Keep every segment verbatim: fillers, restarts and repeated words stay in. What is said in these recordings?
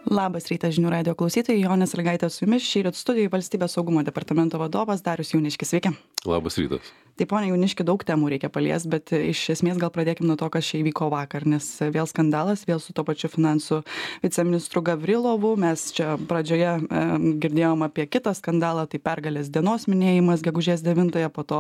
Labas rytas žinių radijo klausytojai, Jonė Sąlygaitė su jumis. Šįryt studijoj Valstybės saugumo departamento vadovas Darius Jauniškis. Sveiki. Labas rytas. Tai ponia Jauniški, daug temų reikia paliest, bet iš esmės gal pradėkim nuo to, kas čia įvyko vakar, nes vėl skandalas, vėl su to pačiu finansų viceministru Gavrilovu. Mes čia pradžioje e, girdėjom apie kitą skandalą, tai pergalės dienos minėjimas gegužės devintąją, po to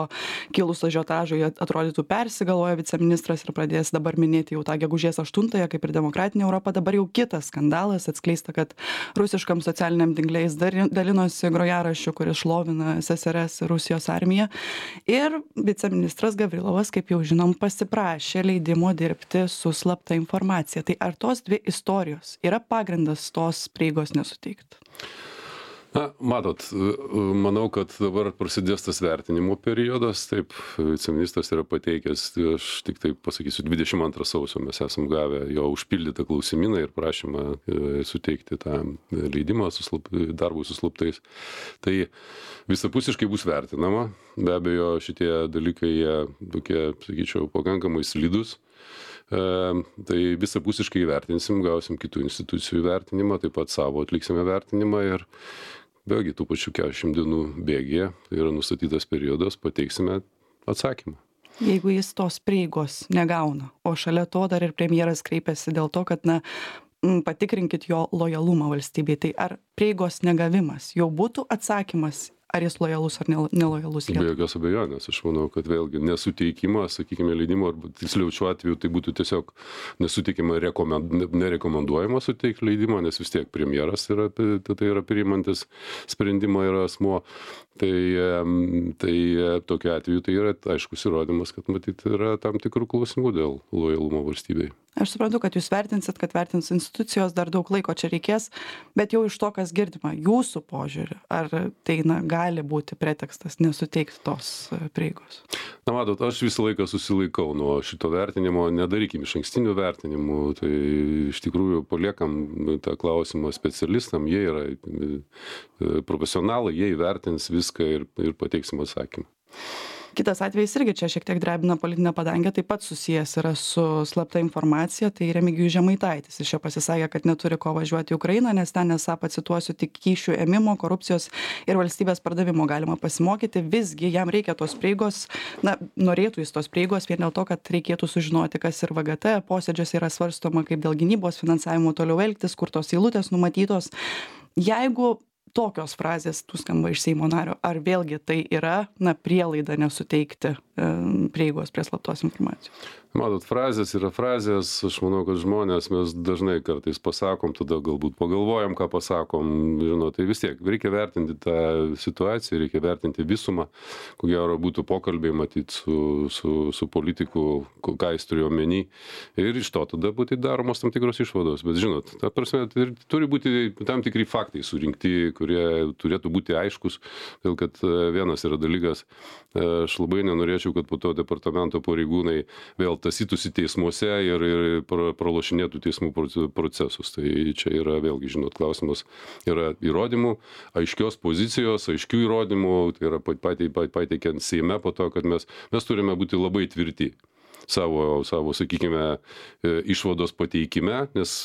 kilus ažiotažui atrodytų persigalvojo viceministras ir pradės dabar minėti jau tą gegužės aštuntąją, kaip ir demokratinė Europa. Dabar jau kitas skandalas, atskleista, kad rusiškam socialiniam tinklais dalinosi grojaraščiu, kuris šlovina S S R S Rusijos armiją. Ir viceministras Gavrilovas, kaip jau žinom, pasiprašė leidimo dirbti su slapta informacija. Tai ar tos dvi istorijos yra pagrindas tos prieigos nesuteikti? Na, matot, manau, kad dabar prasidės tas vertinimo periodas. Taip, viceministras yra pateikęs, aš tik taip pasakysiu, dvidešimt antrą sausio mes esam gavę jo užpildytą klausimyną ir prašymą suteikti tą leidimą su slap, darbui su slaptais. Tai visapusiškai bus vertinama. Be abejo, šitie dalykai, jie tokie, sakyčiau, pakankamai slidus. E, tai visapusiškai įvertinsim, gausim kitų institucijų įvertinimą, taip pat savo atliksime vertinimą ir vėlgi tų pačių keturiasdešimt dienų bėgyje, tai yra nustatytas periodas, pateiksime atsakymą. Jeigu jis tos prieigos negauna, o šalia to dar ir premjeras kreipėsi dėl to, kad na, patikrinkit jo lojalumą valstybei, tai ar prieigos negavimas jau būtų atsakymas, ar jis lojalus ar nelojalus? Be jokios abejonės, aš manau, kad vėlgi nesuteikimas, sakykime, leidimo, arba tiksliau šiuo atveju tai būtų tiesiog nesuteikima, rekomend, nerekomenduojama suteikti leidimą, nes vis tiek premjeras yra, tai yra priimantis sprendimą yra asmuo. Tai, tai tokiu atveju tai yra aiškus įrodymas, kad matyt yra tam tikrų klausimų dėl lojalumo valstybei. Aš suprantu, kad jūs vertinsit, kad vertins institucijos, dar daug laiko čia reikės, bet jau iš to, kas girdima, jūsų požiūrį, ar tai na, gali būti pretekstas nesuteikti tos prieigos? Na, matot, aš visą laiką susilaikau nuo šito vertinimo, nedarykim iš ankstinių vertinimų, tai iš tikrųjų paliekam tą klausimą specialistam, jie yra profesionalai, jie įvertins viską ir, ir pateiksim atsakymą. Kitas atvejis irgi čia šiek tiek drebina politinę padangę, taip pat susijęs yra su slapta informacija, tai Remigijus Žemaitaitis. Jis čia pasisakė, kad neturi ko važiuoti į Ukrainą, nes ten, esą, pacituosiu, tik kyšių ėmimo, korupcijos ir valstybės pardavimo galima pasimokyti. Visgi jam reikia tos prieigos, na, norėtų jis tos prieigos vien dėl to, kad reikėtų sužinoti, kas ir V G T posėdžiuose yra svarstoma, kaip dėl gynybos finansavimo toliau elgtis, kur tos eilutės numatytos. Jeigu tokios frazės tų skamba iš Seimo nario, ar vėlgi tai yra, na, prielaida nesuteikti e, prieigos prie slaptos informacijos? Matot, frazės yra frazės, aš manau, kad žmonės mes dažnai kartais pasakom, tada galbūt pagalvojam, ką pasakom, žinot, tai vis tiek reikia vertinti tą situaciją, reikia vertinti visumą, ko gero būtų pokalbiai matyti su, su, su politiku, ką jis turėjo omeny, ir iš to tada būtų daromos tam tikros išvados, bet žinot, ta prasme, tai turi būti tam tikri faktai surinkti, kurie turėtų būti aiškus, dėl kad vienas yra dalykas, aš labai nenorėčiau, kad po to departamento pareigūnai vėl tasytųsi teismuose ir, ir pralošinėtų teismų procesus. Tai čia yra vėlgi, žinot, klausimas yra įrodymų, aiškios pozicijos, aiškių įrodymų, tai yra pateikiant Seime po to, kad mes, mes turime būti labai tvirti savo, savo, sakykime, išvados pateikime, nes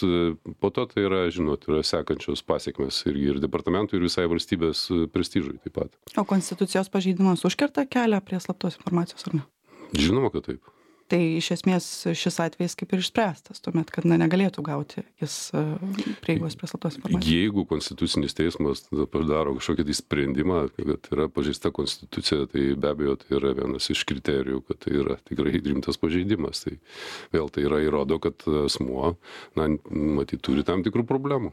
po to tai yra, žinot, yra sekančios pasiekmes irgi ir departamentui, ir visai valstybės prestižui taip pat. O konstitucijos pažeidimas užkerta kelią prie slaptos informacijos, ar ne? Žinoma, kad taip. Tai iš esmės šis atvejis kaip ir išspręstas, tuomet, kad na, negalėtų gauti jis prieigos prie slaptos informacijos. Jeigu konstitucinis teismas padaro kažkokį tai sprendimą, kad yra pažeista konstitucija, tai be abejo tai yra vienas iš kriterijų, kad tai yra tikrai rimtas pažeidimas. Tai vėl tai yra įrodo, kad asmuo, na, matyt, turi tam tikrų problemų.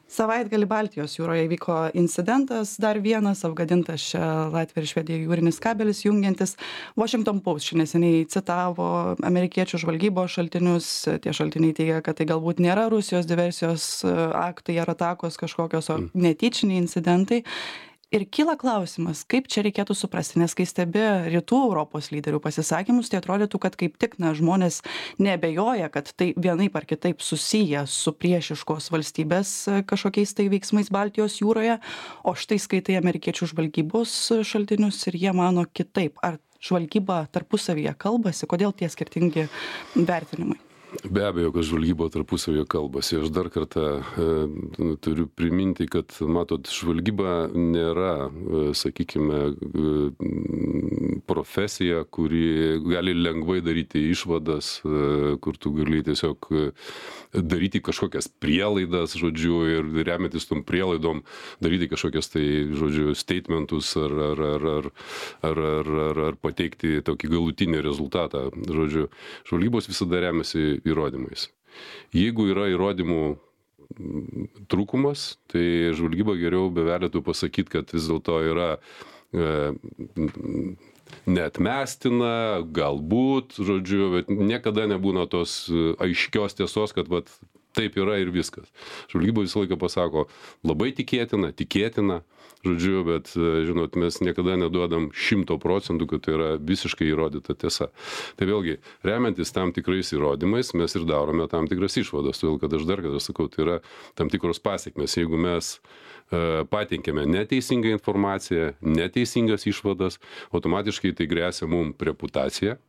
Savaitgalį Baltijos jūroje įvyko incidentas, dar vienas apgadintas čia Latvija ir Švedija jūrinis kabelis jungiantis. Washington Post čia neseniai citavo amerikiečių žvalgybos šaltinius. Tie šaltiniai teigia, kad tai galbūt nėra Rusijos diversijos aktai ar atakos kažkokios, o netyčiniai incidentai. Ir kyla klausimas, kaip čia reikėtų suprasti, nes kai stebi rytų Europos lyderių pasisakymus, tai atrodytų, kad kaip tik na, žmonės neabejoja, kad tai vienaip ar kitaip susiję su priešiškos valstybės kažkokiais tai veiksmais Baltijos jūroje, o štai skaitai amerikiečių žvalgybos šaltinius ir jie mano kitaip. Ar žvalgyba tarpusavyje kalbasi, kodėl tie skirtingi vertinimai? Be abejo, kad žvalgyba tarpusavio kalbasi. Aš dar kartą e, turiu priminti, kad, matot, žvalgyba nėra, e, sakykime, e, profesija, kuri gali lengvai daryti išvadas, e, kur tu gali tiesiog e, daryti kažkokias prielaidas, žodžiu, ir remiantis tom prielaidom daryti kažkokias tai, žodžiu, statementus ar, ar, ar, ar, ar, ar, ar, ar pateikti tokį galutinį rezultatą. Žodžiu, žvalgybos visada remiasi įrodymais. Jeigu yra įrodymų trūkumas, tai žvalgyba geriau bevelėtų pasakyti, kad vis dėlto yra e, neatmestina, galbūt, žodžiu, bet niekada nebūna tos aiškios tiesos, kad vat, taip yra ir viskas. Žvalgyba visą laiką pasako labai tikėtina, tikėtina, žodžiu, bet, žinot, mes niekada neduodam šimto procentų, kad tai yra visiškai įrodyta tiesa. Tai vėlgi, remiantis tam tikrais įrodymais, mes ir darome tam tikras išvadas, todėl kad aš dar kartą sakau, tai yra tam tikros pasiekmes. Jeigu mes e, patinkėme neteisingą informaciją, neteisingas išvadas, automatiškai tai gresia mums reputacija.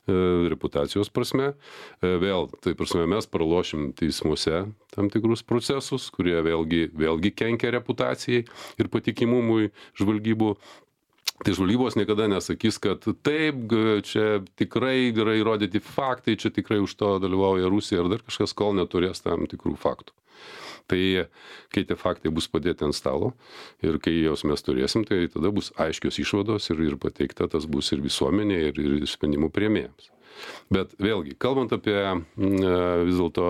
reputacijos prasme. Vėl, tai prasme, mes pralošim teismuose tam tikrus procesus, kurie vėlgi, vėlgi kenkia reputacijai ir patikimumui žvalgybų. Tai žvalgybos niekada nesakys, kad taip, čia tikrai yra įrodyti faktai, čia tikrai už to dalyvauja Rusija ar dar kažkas, kol neturės tam tikrų faktų. Tai kai tie faktai bus padėti ant stalo ir kai jos mes turėsim, tai tada bus aiškios išvados ir, ir pateikta tas bus ir visuomenė, ir, ir sprendimų priėmėjams. Bet vėlgi, kalbant apie vis dėlto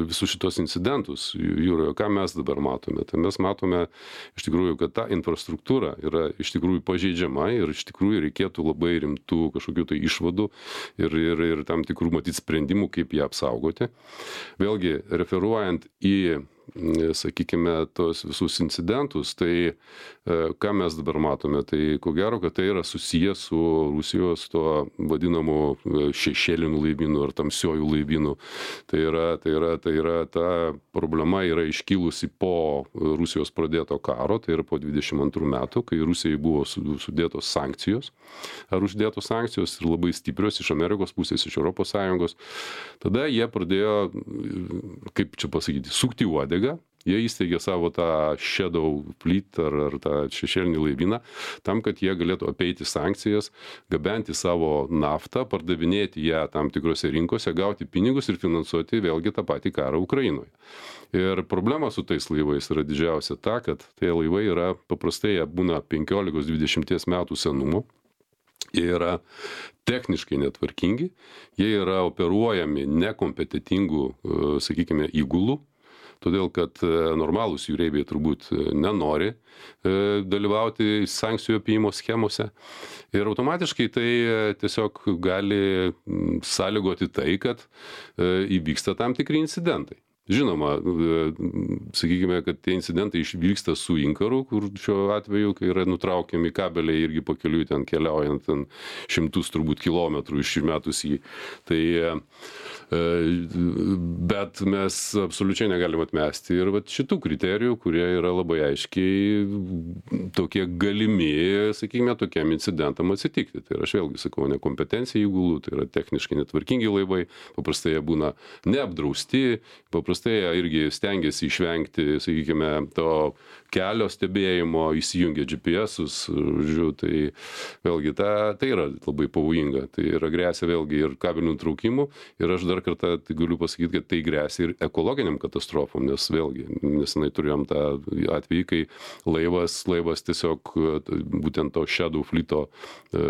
visus šitos incidentus jūroje, ką mes dabar matome, tai mes matome iš tikrųjų, kad ta infrastruktūra yra iš tikrųjų pažeidžiama ir iš tikrųjų reikėtų labai rimtų kažkokių tai išvadų ir, ir, ir tam tikrų matyti sprendimų, kaip ją apsaugoti. Vėlgi, referuojant į sakykime, tos visus incidentus, tai ką mes dabar matome, tai ko gero, kad tai yra susijęs su Rusijos to vadinamu šešėliniu laivynu ar tamsiojų laivynų. Tai yra, tai yra, tai yra, ta problema yra iškilusi po Rusijos pradėto karo, tai yra po dvidešimt antrų metų, kai Rusijai buvo sudėtos sankcijos, ar uždėtos sankcijos ir labai stiprios iš Amerikos pusės, iš Europos Sąjungos. Tada jie pradėjo, kaip čia pasakyti, sukti uodegą. Jie įsteigė savo tą Shadow Fleet ar, ar tą šešėlinį laivyną, tam, kad jie galėtų apeiti sankcijas, gabenti savo naftą, pardavinėti ją tam tikrose rinkose, gauti pinigus ir finansuoti vėlgi tą patį karą Ukrainoje. Ir problema su tais laivais yra didžiausia ta, kad tie laivai yra paprastai, jie būna penkiolikos dvidešimt metų senumo. Jie yra techniškai netvarkingi, jie yra operuojami nekompetitingų, sakykime, įgulų. Todėl, kad normalūs jūreiviai turbūt nenori dalyvauti sankcijų apėjimo schemose. Ir automatiškai tai tiesiog gali sąlygoti tai, kad įvyksta tam tikri incidentai. Žinoma, sakykime, kad tie incidentai išvyksta su inkaru, kur šiuo atveju, kai yra nutraukiami kabeliai irgi pakeliui ten keliaujant ten šimtus turbūt kilometrų išmetus jį. Tai, bet mes absoliučiai negalim atmesti ir vat šitų kriterijų, kurie yra labai aiškiai tokie galimi, sakykime, tokiam incidentam atsitikti. Tai aš vėlgi sakau, nekompetencija įgulų, tai yra techniškai netvarkingi laivai, paprastai jie būna neapdrausti, paprastai tai irgi stengiasi išvengti, sakykime, to kelio stebėjimo, įsijungia G P S-us, žiūrėjau, tai vėlgi ta, tai yra labai pavojinga, tai yra grėsia vėlgi ir kabelių nutraukimų ir aš dar kartą tai galiu pasakyti, kad tai grėsia ir ekologiniam katastrofom, nes vėlgi, nesenai turėjom tą atvejį, kai laivas, laivas tiesiog, būtent to Shadow Fleet'o e,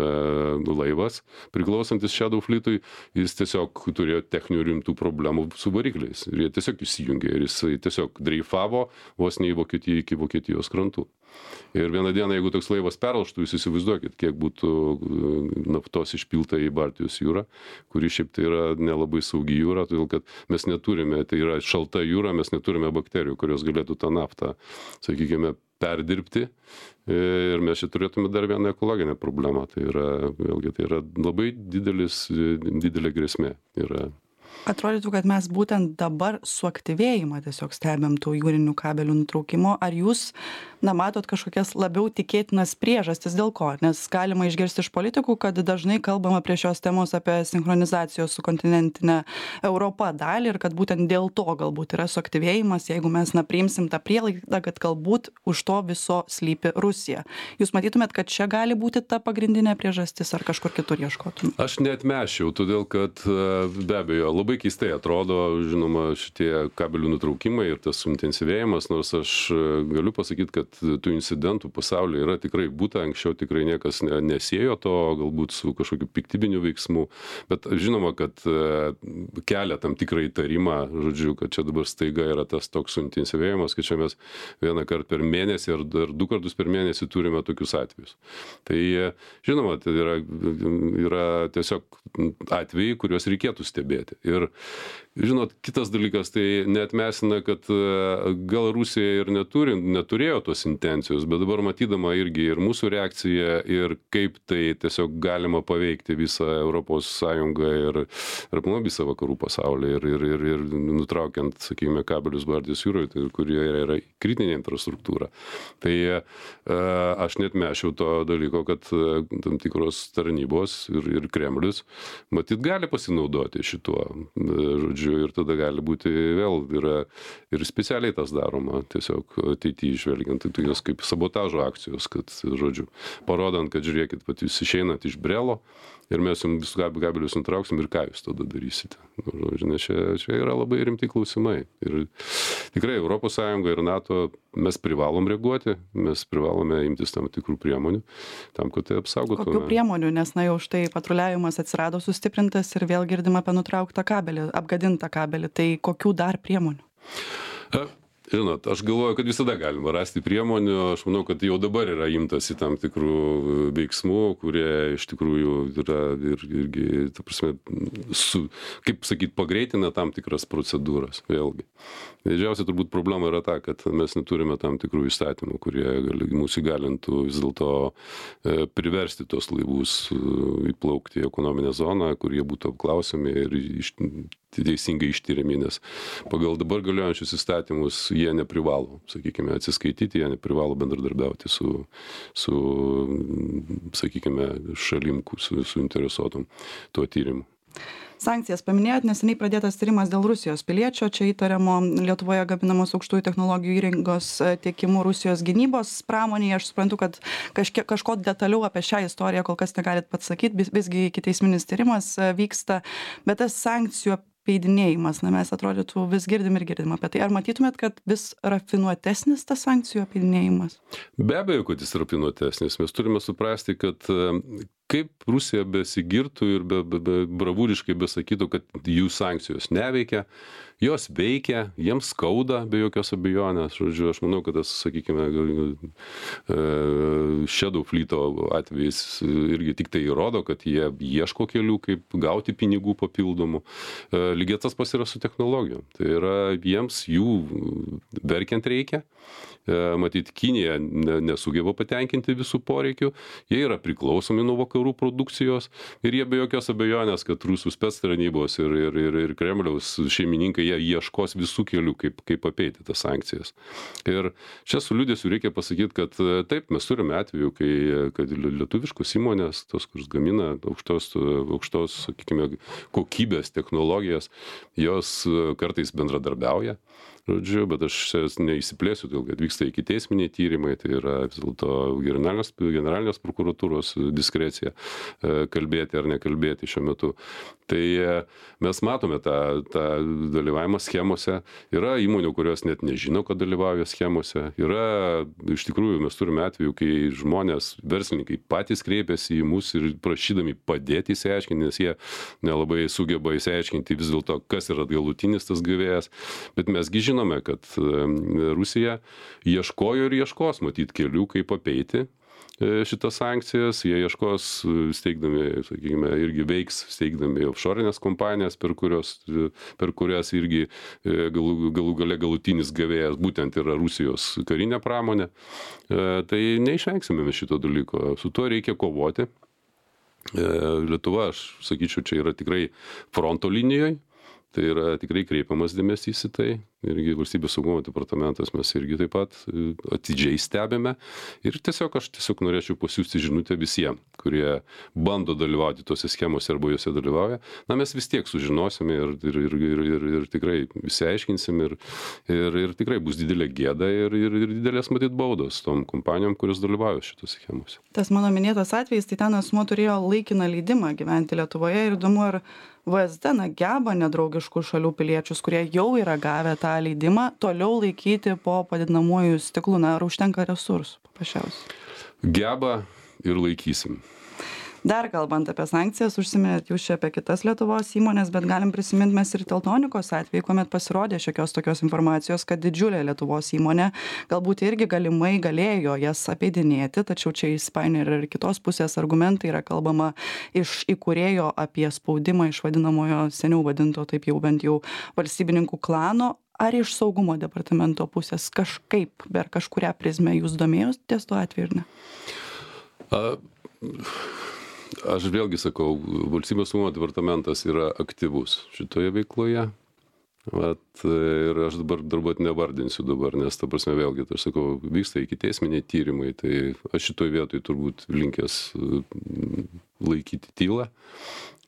laivas, priklausantis Shadow Fleet'ui, jis tiesiog turėjo techninių rimtų problemų su varikliais ir jie tiesiog įsijungė ir jisai tiesiog dreifavo vos ne į Vokietiją iki Vokietijos krantų. Ir vieną dieną, jeigu toks laivas perlaužtų, jūs įsivaizduokit, kiek būtų naftos išpilta į Baltijos jūrą, kuri šiaip tai yra nelabai saugi jūra, todėl kad mes neturime, tai yra šalta jūra, mes neturime bakterijų, kurios galėtų tą naftą, sakykime, perdirbti. Ir mes čia turėtume dar vieną ekologinę problemą. Tai yra, vėlgi, tai yra labai didelis, didelė grėsmė yra Atrodytų, kad mes būtent dabar suaktyvėjimą tiesiog stebėm tų jūrinių kabelių nutraukimo. Ar jūs, na, matot kažkokias labiau tikėtinas priežastis dėl ko? Nes galima išgirsti iš politikų, kad dažnai kalbama prie šios temos apie sinchronizacijos su kontinentinė Europa dalį ir kad būtent dėl to galbūt yra suaktyvėjimas, jeigu mes, na, priimsim tą prielaidą, kad galbūt už to viso slypi Rusija. Jūs matytumėt, kad čia gali būti ta pagrindinė priežastis ar kažkur kitur ieškotum? Aš neatmešiau, todėl kad be abejo labai keistai atrodo, žinoma, šitie kabelių nutraukimai ir tas suintensyvėjimas, nors aš galiu pasakyti, kad tų incidentų pasaulyje yra tikrai būta, anksčiau tikrai niekas nesiejo to, galbūt su kažkokiu piktybiniu veiksmu, bet žinoma, kad kelia tam tikrą įtarimą, žodžiu, kad čia dabar staiga yra tas toks suintensyvėjimas, kad čia mes vieną kartą per mėnesį ar, ar du kartus per mėnesį turime tokius atvejus. Tai žinoma, tai yra, yra tiesiog atvejai, kuriuos reikėtų stebėti. Ir žinot, kitas dalykas, tai neatmesina, kad gal Rusija ir neturi, neturėjo tos intencijos, bet dabar matydama irgi ir mūsų reakciją ir kaip tai tiesiog galima paveikti visą Europos Sąjungą ir, ir aplamai visą vakarų pasaulį ir, ir, ir, ir nutraukiant, sakykime, kabelius Baltijos jūroje, tai, kurie yra kritinė infrastruktūra. Tai aš neatmešiau to dalyko, kad tam tikros tarnybos ir, ir Kremlius matyt gali pasinaudoti šituo, žodžiu, ir tada gali būti vėl yra ir specialiai tas daroma, tiesiog ateityje žvelgiant, tai tokios kaip sabotažo akcijos, kad, žodžiu, parodant, kad žiūrėkit, pat jūs išeinat iš brelo ir mes jums visus kabelius nutrauksim ir ką jūs tada darysite. Žinai, čia, čia yra labai rimti klausimai. Ir tikrai Europos Sąjunga ir NATO mes privalom reaguoti, mes privalome imtis tam tikrų priemonių, tam, kad tai apsaugotume. Kokių priemonių, nes na jau štai patruliavimas atsirado sustiprintas ir vėl girdim apie nutrauktą kabelį, apgadintą kabelį, tai kokių dar priemonių? A, Žinot, aš galvoju, kad visada galima rasti priemonių, aš manau, kad jau dabar yra imtasi tam tikrų veiksmų, kurie iš tikrųjų yra ir, irgi, ta prasme, su, kaip sakyt, pagreitina tam tikras procedūras, vėlgi. Didžiausia turbūt problema yra ta, kad mes neturime tam tikrų įstatymų, kurie gali, mūsų įgalintų vis dėlto e, priversti tos laivus e, įplaukti į ekonominę zoną, kur jie būtų apklausiami ir iš, teisingai ištyriami, nes pagal dabar galiojančius įstatymus jie neprivalo, sakykime, atsiskaityti, jie neprivalo bendradarbiauti su, su sakykime, šalim, su, su interesuotom tuo tyrimu. Sankcijas paminėjot, neseniai pradėtas tyrimas dėl Rusijos piliečio, čia įtariamo Lietuvoje gaminamos aukštųjų technologijų įrangos tiekimu Rusijos gynybos pramonėje. Aš suprantu, kad kažkiek, kažko detaliau apie šią istoriją kol kas negalit pats sakyti, visgi ikiteisminis tyrimas vyksta, bet tas sankcijų apeidinėjimas, na mes atrodytų vis girdim ir girdim apie tai. Ar matytumėt, kad vis rafinuotesnis tas sankcijų apeidinėjimas? Be abejo, kad jis rafinuotesnis. Mes turime suprasti, kad kaip Rusija besigirtų ir be, be, be, bravūriškai besakytų, kad jų sankcijos neveikia, jos veikia, jiems skauda be jokios abejonės. Žodžiu, aš manau, kad tas, sakykime, Shadow Fleet'o atvejais irgi tik tai įrodo, kad jie ieško kelių, kaip gauti pinigų papildomų. Lygiai tas pas yra su technologijom. Tai yra jiems jų verkiant reikia. Matyt, Kinija nesugeba patenkinti visų poreikių, jie yra priklausomi nuo vakarų produkcijos ir jie be jokios abejonės, kad rusų spectarnybos ir, ir, ir, ir Kremliaus šeimininkai, jie ieškos visų kelių, kaip, kaip apeiti tas sankcijas. Ir čia su liūdėsiu reikia pasakyti, kad taip, mes turime atveju, kai kad lietuviškos įmonės, tos, kuris gamina aukštos, aukštos, sakykime, kokybės technologijas, jos kartais bendradarbiauja. Žodžiu, bet aš neįsiplėsiu, dėl kad vyksta ikiteisminiai tyrimai, tai yra vis dėlto generalinės, generalinės prokuratūros diskrecija kalbėti ar nekalbėti šiuo metu. Tai mes matome tą, tą dalyvavimą schemose. Yra įmonių, kurios net nežino, kad dalyvauja schemose. Yra, iš tikrųjų, mes turime atveju, kai žmonės, verslininkai patys kreipiasi į mus ir prašydami padėti įsiaiškinti, nes jie nelabai sugeba įsiaiškinti vis dėlto, kas yra galutinis tas gavėjas. Bet mesgi žinome, kad Rusija ieškojo ir ieškos matyt kelių, kaip apeiti šitas sankcijas, jie ieškos steigdami, sakykime, irgi veiks steigdami offshore'inės kompanijas, per, kurios, per kurias irgi galų, galų gale galutinis gavėjas būtent yra Rusijos karinė pramonė. Tai neišvengsime mes šito dalyko, su tuo reikia kovoti. Lietuva, aš sakyčiau, čia yra tikrai fronto linijoje. Tai yra tikrai kreipiamas dėmesys į tai. Irgi valstybės saugumo departamentas mes irgi taip pat atidžiai stebime. Ir tiesiog aš tiesiog norėčiau pasiųsti žinutę visiems, kurie bando dalyvauti tose schemose arba juose dalyvauja. Na, mes vis tiek sužinosime ir, ir, ir, ir, ir, ir tikrai visi aiškinsim ir, ir, ir tikrai bus didelė gėda ir, ir, ir didelės matyt baudos tom kompanijom, kurios dalyvauja šitose schemose. Tas mano minėtas atvejis, tai ten asmuo turėjo laikiną leidimą gyventi Lietuvoje ir įdomu, ar V S D na, geba nedraugiškų šalių piliečius, kurie jau yra gavę tą leidimą, toliau laikyti po padidinamuoju stiklu, na, ar užtenka resursų paprasčiausiai? Geba ir laikysim. Dar kalbant apie sankcijas, užsiminėt jūs čia apie kitas Lietuvos įmonės, bet galim prisiminti mes ir Teltonikos atvejį, kuomet pasirodė šiokios tokios informacijos, kad didžiulė Lietuvos įmonė galbūt irgi galimai galėjo jas apeidinėti, tačiau čia įsipainioja ir kitos pusės argumentai, yra kalbama iš įkūrėjo apie spaudimą iš vadinamojo seniau vadinto taip jau bent jau valstybininkų klano. Ar iš saugumo departamento pusės kažkaip per kažkurią prizmę jūs domėjotės tuo atveju ir ne? A... Aš vėlgi sakau, valstybės saugumo departamentas yra aktyvus šitoje veikloje. Vat, ir aš dabar darbūt nevardinsiu dabar, nes ta prasme vėlgi, tai aš sakau, vyksta ikiteisminiai tyrimai, tai aš šitoj vietoj turbūt linkęs laikyti tylą.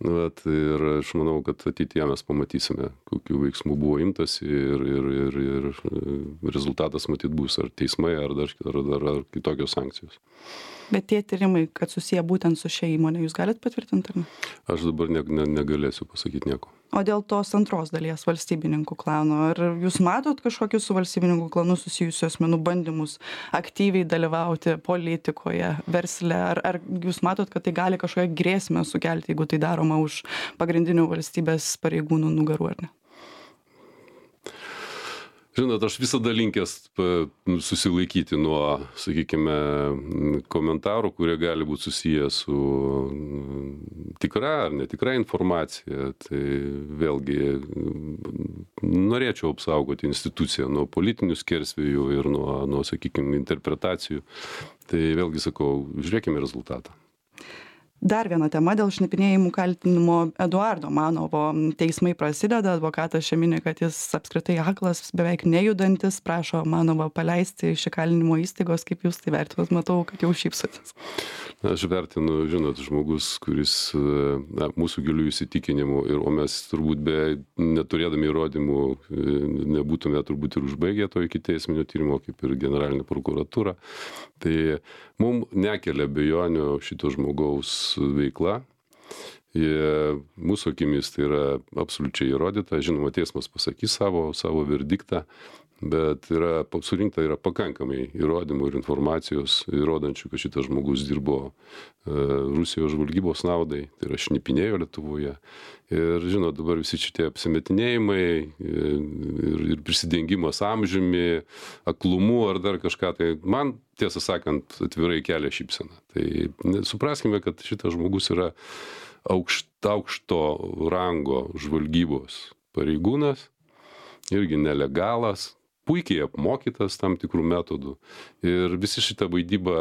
Vat, ir aš manau, kad ateityje mes pamatysime, kokių veiksmų buvo imtas ir, ir, ir, ir rezultatas matyt bus ar teismai, ar dar, ar, ar, ar kitokios sankcijos. Bet tie tyrimai, kad susiję būtent su šia įmonė, jūs galit patvirtinti, ar ne? Aš dabar ne, ne, negalėsiu pasakyti nieko. O dėl tos antros dalies valstybininkų klano, ar jūs matot kažkokius su valstybininkų klanu susijusių asmenų bandymus aktyviai dalyvauti politikoje, versle, ar, ar jūs matot, kad tai gali kažkokią grėsmę sukelti, jeigu tai daroma už pagrindinių valstybės pareigūnų nugarų, ar ne? Žinot, aš visada linkęs susilaikyti nuo, sakykime, komentarų, kurie gali būti susiję su tikra ar netikra informacija. Tai vėlgi norėčiau apsaugoti instituciją nuo politinių skersvėjų ir nuo, nuo, sakykime, interpretacijų. Tai vėlgi sakau, žiūrėkime rezultatą. Dar viena tema dėl šnipinėjimų kaltinimo Eduardo Manovo. Teismai prasideda, advokatas čia mini, kad jis apskritai aklas, beveik nejudantis, prašo Manovą paleisti iš įkalinimo įstaigos. Kaip jūs tai vertinat? Matau, kad jau šypsotės. Aš vertinu, žinot, žmogus, kuris na, mūsų gilių įsitikinimų, ir, o mes turbūt be neturėdami įrodymų nebūtume turbūt ir užbaigę to ikiteisminio tyrimo, kaip ir generalinė prokuratūra. Tai mums nekelia abejonių šito žmogaus veikla. Jie, mūsų akimis tai yra absoliučiai įrodyta. Žinoma, teismas pasakys savo, savo verdiktą, bet yra, surinkta yra pakankamai įrodymų ir informacijos įrodančių, kad šitas žmogus dirbo e, Rusijos žvalgybos naudai, tai yra šnipinėjo Lietuvoje. Ir, žinot, dabar visi šitie apsimetinėjimai ir, ir prisidengimas amžiumi, aklumu ar dar kažką, tai man, tiesą sakant, atvirai kelia šypseną. Tai supraskime, kad šitas žmogus yra aukšta, aukšto rango žvalgybos pareigūnas, irgi nelegalas, puikiai apmokytas tam tikrų metodų. Ir visi šitą vaidybą,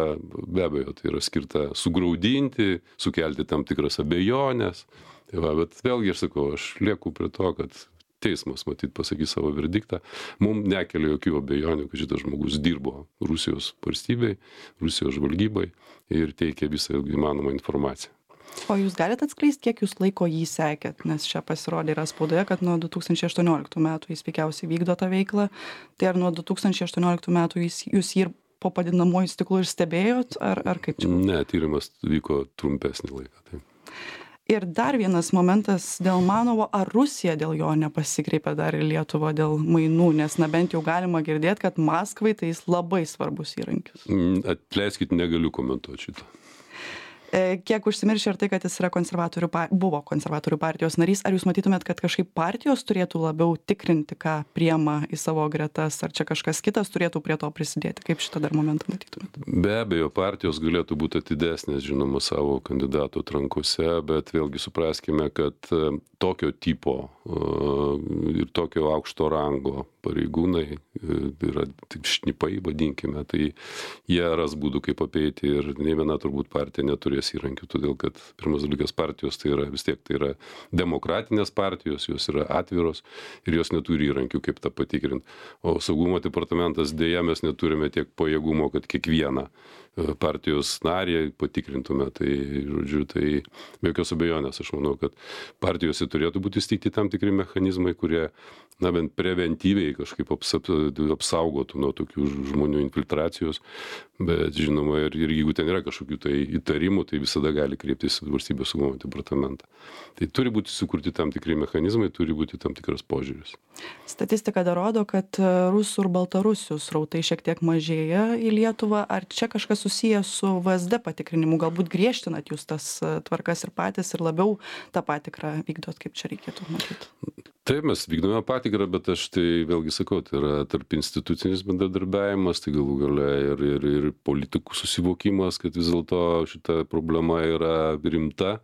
be abejo, tai yra skirta sugraudinti, sukelti tam tikras abejonės. Tai va, bet vėlgi aš sakau, aš lieku prie to, kad teismas, matyt, pasakys savo verdiktą. Mums nekelia jokių abejonių, kad šitas žmogus dirbo Rusijos valstybei, Rusijos žvalgybai ir teikė visą įmanomą informaciją. O jūs galite atskleisti, kiek jūs laiko jį sekėt, nes čia pasirodė yra spaudoje, kad nuo du tūkstančiai aštuonioliktų metų jis veikiausiai vykdo tą veiklą. Tai ar nuo du tūkstančiai aštuonioliktų metų jūs, jūs jį ir po padidinamuoju stiklu ir stebėjot, ar, ar kaip čia? Ne, tyrimas vyko trumpesnį laiką. Tai. Ir dar vienas momentas dėl Manovo, ar Rusija dėl jo nepasikreipė dar į Lietuvą dėl mainų, nes na bent jau galima girdėti, kad Maskvai tai jis labai svarbus įrankis. Atleiskit, negaliu komentuoti šito. Kiek užsimiršė ir tai, kad jis yra konservatorių, buvo konservatorių partijos narys, ar jūs matytumėt, kad kažkaip partijos turėtų labiau tikrinti, ką priema į savo gretas, ar čia kažkas kitas turėtų prie to prisidėti? Kaip šitą dar momentą matytumėt? Be abejo, partijos galėtų būti atidesnės, žinoma, savo kandidatų atrankose, bet vėlgi supraskime, kad tokio tipo ir tokio aukšto rango pareigūnai, yra tik šnipai, vadinkime, tai jie ras būdų, kaip apeiti, ir nei viena turbūt partija neturėtų neturės įrankių, todėl kad pirmas dalykas partijos tai yra vis tiek tai yra demokratinės partijos, jos yra atviros ir jos neturi įrankių, kaip tą patikrinti. O saugumo departamentas dėja mes neturime tiek pajėgumo, kad kiekvieną partijos narį patikrintume. Tai, žodžiu, tai be jokios abejonės, aš manau, kad partijose turėtų būti įsteigti tam tikri mechanizmai, kurie, na, bent preventyviai kažkaip apsaugotų nuo tokių žmonių infiltracijos, bet žinoma, ir, ir jeigu ten yra kažkokių tai įtarimų, tai visada gali kreiptis į valstybės saugumo departamentą. Tai turi būti sukurti tam tikri mechanizmai, turi būti tam tikras požiūris. Statistika dar rodo, kad rusų ir baltarusių srautai šiek tiek mažėja į Lietuvą. Ar čia kažkas susijęs su V S D patikrinimu? Galbūt griežtinat jūs tas tvarkas ir patys ir labiau tą patikrą vykdot, kaip čia reikėtų matyti? Taip, mes vykdome patikrą, bet aš tai vėlgi sakau, tai yra tarp institucinis bendradarbiavimas, tai galų gale ir, ir, ir politikų susivokimas, kad vis dėlto šita problema yra rimta.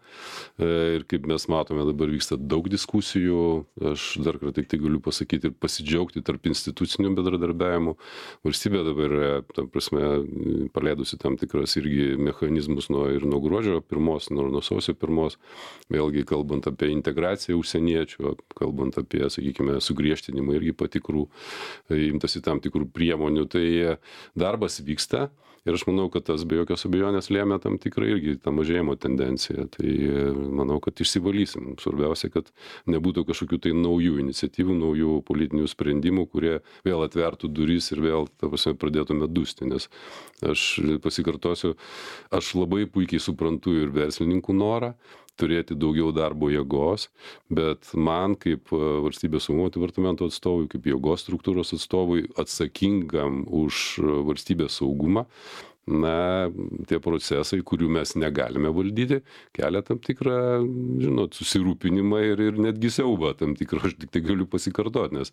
Ir kaip mes matome, dabar vyksta daug diskusijų. Aš dar kartą tik tai galiu pasakyti ir pasidžiaugti tarp institucinių bendradarbiavimų. Valstybė dabar yra, tam prasme, paleidusi tam tikras irgi mechanizmus nuo, ir nuo gruodžio pirmos, nuo, nuo sausio pirmos. Vėlgi kalbant apie integraciją užsieniečių, kalbant apie, sakykime, sugriežtinimą irgi patikrų, imtasi tam tikrų priemonių, tai darbas vyksta ir aš manau, kad tas be jokios abejonės lėmė tam tikrą irgi tą mažėjimo tendenciją. Tai manau, kad išsivalysim. Svarbiausia, kad nebūtų kažkokių tai naujų iniciatyvų, naujų politinių sprendimų, kurie vėl atvertų duris ir vėl, ta prasme, pradėtume dusti, nes aš pasikartosiu, aš labai puikiai suprantu ir verslininkų norą turėti daugiau darbo jėgos, bet man kaip valstybės saugumo departamento atstovui, kaip jėgos struktūros atstovui atsakingam už valstybės saugumą, na, tie procesai, kurių mes negalime valdyti, kelia tam tikrą, žinot, susirūpinimą ir, ir netgi siaubą tam tikrą, aš tik tai galiu pasikartoti, nes,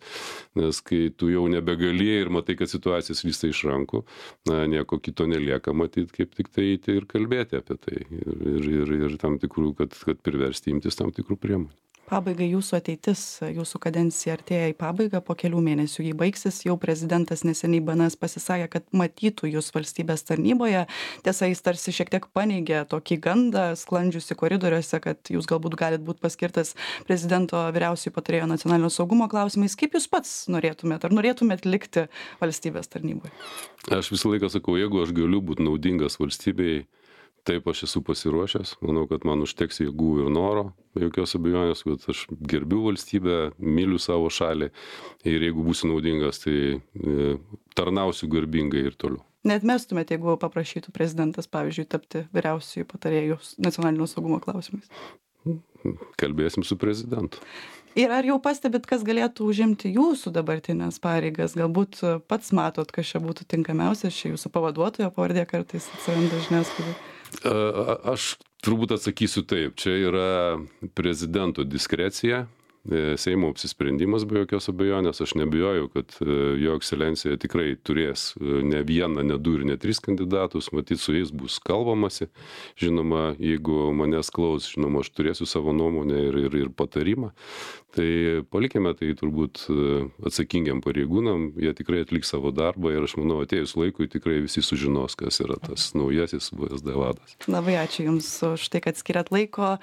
nes kai tu jau nebegali ir matai, kad situacija slysta iš rankų, na, nieko kito nelieka matyti, kaip tik tai eiti ir kalbėti apie tai ir, ir, ir, ir tam tikrų, kad, kad priversti imtis tam tikrų priemonių. Pabaigai jūsų ateitis, jūsų kadencija artėja į pabaigą, po kelių mėnesių jį baigsis, jau prezidentas neseniai B N S pasisakė, kad matytų jūs valstybės tarnyboje. Tiesa, jis tarsi šiek tiek paneigė tokį gandą, sklandžiusi koridoriuose, kad jūs galbūt galit būti paskirtas prezidento vyriausiojo patarėjo nacionalinio saugumo klausimais. Kaip jūs pats norėtumėt, ar norėtumėt likti valstybės tarnyboje? Aš visą laiką sakau, jeigu aš galiu būti naudingas valstybei, taip aš esu pasiruošęs, manau, kad man užteks jėgų ir noro, be jokios abejonės, kad aš gerbiu valstybę, myliu savo šalį ir jeigu būsiu naudingas, tai e, tarnausiu garbingai ir toliau. Neatmestumėte, jeigu paprašytų prezidentas, pavyzdžiui, tapti vyriausiųjų patarėjų nacionalinio saugumo klausimais? Kalbėsim su prezidentu. Ir ar jau pastebit, kas galėtų užimti jūsų dabartinės pareigas? Galbūt pats matot, kas čia būtų tinkamiausias, čia jūsų pavaduotojo pavardė kartais atsiranda žiniasklaidai. Aš turbūt atsakysiu taip. Čia yra prezidento diskrecija, Seimo apsisprendimas be jokios abejonės. Aš nebijoju, kad jo ekscelencija tikrai turės ne vieną, ne du ir ne tris kandidatus. Matyt, su jais bus kalbamasi. Žinoma, jeigu manęs klaus, žinoma, aš turėsiu savo nuomonę ir, ir, ir patarimą. Tai palikime tai turbūt atsakingiam pareigūnam, jie tikrai atliks savo darbą ir aš manau, atėjus laikui tikrai visi sužinos, kas yra tas naujasis V S D vadas. Labai ačiū Jums už tai, kad skiriat laiko.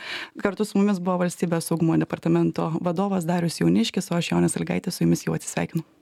Kartu su mumis buvo Valstybės saugumo departamento vadovas Darius Jauniškis, o aš Jonė Sąlygaitė su Jumis jau atsisveikinu.